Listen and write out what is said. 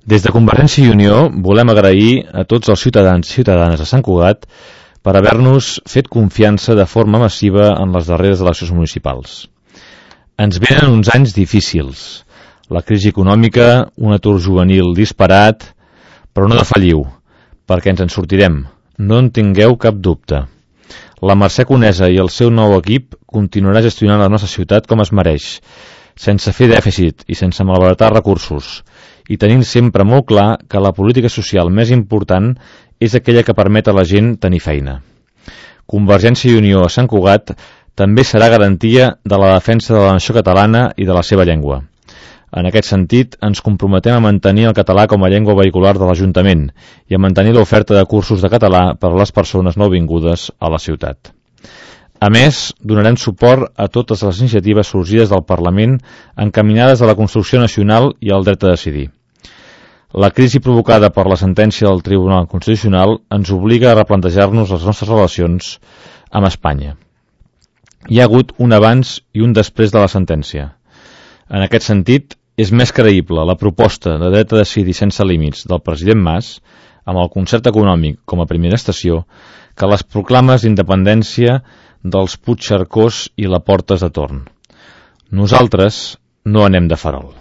Des de Convergència i Unió volem agrair a tots els ciutadans i ciutadanes de Sant Cugat per haver-nos fet confiança de forma massiva en les darreres eleccions municipals. Ens venen uns anys difícils, la crisi econòmica, un atur juvenil disparat, però no defalliu, perquè ens en sortirem, no en tingueu cap dubte. La Mercè Conesa i el seu nou equip continuarà gestionant la nostra ciutat com es mereix, sense fer dèficit i sense malbaratar recursos, i tenint sempre molt clar que la política social més important és aquella que permet a la gent tenir feina. Convergència i Unió a Sant Cugat també serà garantia de la defensa de la nació catalana i de la seva llengua. En aquest sentit, ens comprometem a mantenir el català com a llengua vehicular de l'Ajuntament i a mantenir l'oferta de cursos de català per a les persones nouvingudes a la ciutat. A més, donarem suport a totes les iniciatives sorgides del Parlament encaminades a la construcció nacional i al dret a decidir. La crisi provocada per la sentència del Tribunal Constitucional ens obliga a replantejar-nos les nostres relacions amb Espanya. Hi ha hagut un abans i un després de la sentència. En aquest sentit, és més creïble la proposta de dret a decidir sense límits del president Mas, amb el concert econòmic com a primera estació, que les proclames d'independència dels Puigcercós i la Portes de Torn. Nosaltres no anem de farol.